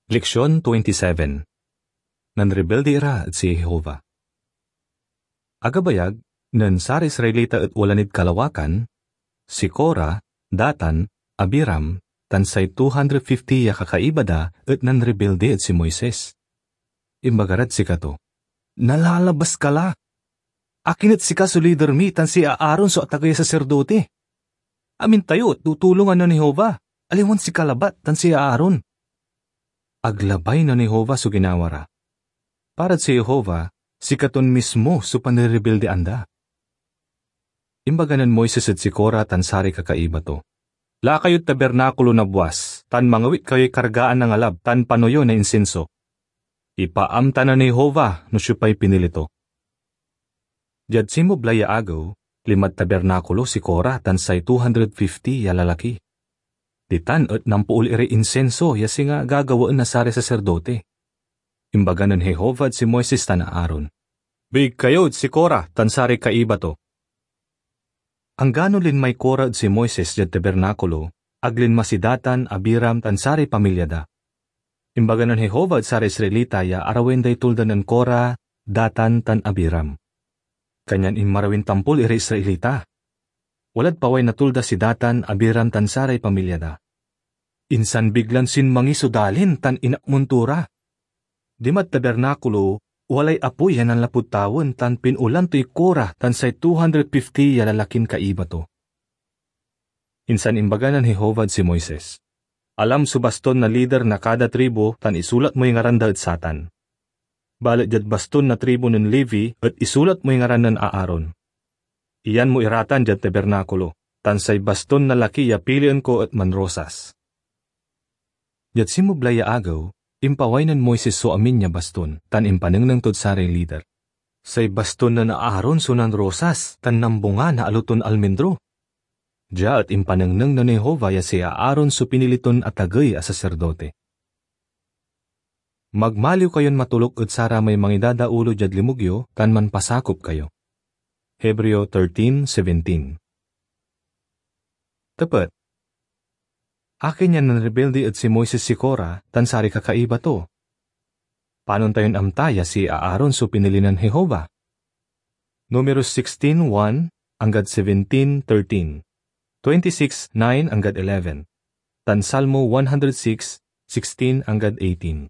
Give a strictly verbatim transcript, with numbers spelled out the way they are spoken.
Leksion twenty-seven. Nanrebildi ira ed si Jehovah. Agabayag, nen saray Israelita et wala nid kalawakan, si Korah, Datan, Abiram, tan say two hundred fifty ya kakaiba da et nanrebildi ed si Moises. Imbaga rad sikato, "Nalalabas ka la! Akin et sika so lider mi tan si Aaron so atagey a saserdote? Amin tayo et tutulongan nen Jehovah, aliwan sika labat tan si Aaron." Ag labay nen Jehovah so ginawa ra. Parad si Jehovah, sikaton mismo so panrerebildian da. Imbaga nen Moises ed si Korah tan saray kakaiba to, "Laka yod tabernakulo na buas, tan mangawit kayoy kargaan na ngalab tan pano yo na insinso. Ipaamta nen Jehovah no siopay pinili to." Diad sinmabulay ya agew, linmad tabernakulo si Korah tan say two hundred fifty ya lalaki. Ditan et nampool iray insinso ya singa gagawaen na saray saserdote. Imbaga nen Jehovah ed si Moises tan Aaron, "Biig kayo ed si Korah tan saray kaiba to." Anggano linmay Korah ed si Moises diad tabernakulo, ag linma si Datan, Abiram, tan saray pamilya da. Imbaga nen Jehovah ed saray Israelita ya arawen day tulda nen Korah, Datan, tan Abiram. Kanyan inmarawin tampol iray Israelita. Walad paway natulda si Datan, Abiram, tan saray pamilya da. Insan biglan sinmangi so dalin tan inakmon to ra. Dimad tabernakulo, walay apoy ya nanlapud tawen tan pinulan toy Korah tan say two hundred fifty ya lalakin kaiba to. Insan imbaga nen Jehovah ed si Moises, "Alam so baston na lider na kada tribu tan isulat moy ngaran da ed satan. Balet diad baston na tribu nen Levi et isulat moy ngaran nen Aaron. Iyan mo iratan diad tabernakulo, tan say baston na laki ya pilien ko et manrosas." Diad sinmabulay ya agew, impaway nen Moises so amin ya baston tan impanengneng tod saray lider. "Say baston nen Aaron so nanrosas tan nambunga na alo ton almendro." Dia et impanengneng nen Jehovah ya si Aaron so pinili ton atagey a saserdote. "Magmaliw kayon matoluk ed saramay mangidadaulo diad limug yo tan manpasakop kayo." Hebreo thirteen seventeen. Tepet. Akin ya nanrebildi ed si Moises, si Korah, tan saray kakaiba to? Panon tayon amta ya si Aaron so pinili nen Jehovah? Numero sixteen one anggad seventeen thirteen, twenty-six nine anggad eleven, tan Salmo one hundred six sixteen anggad eighteen.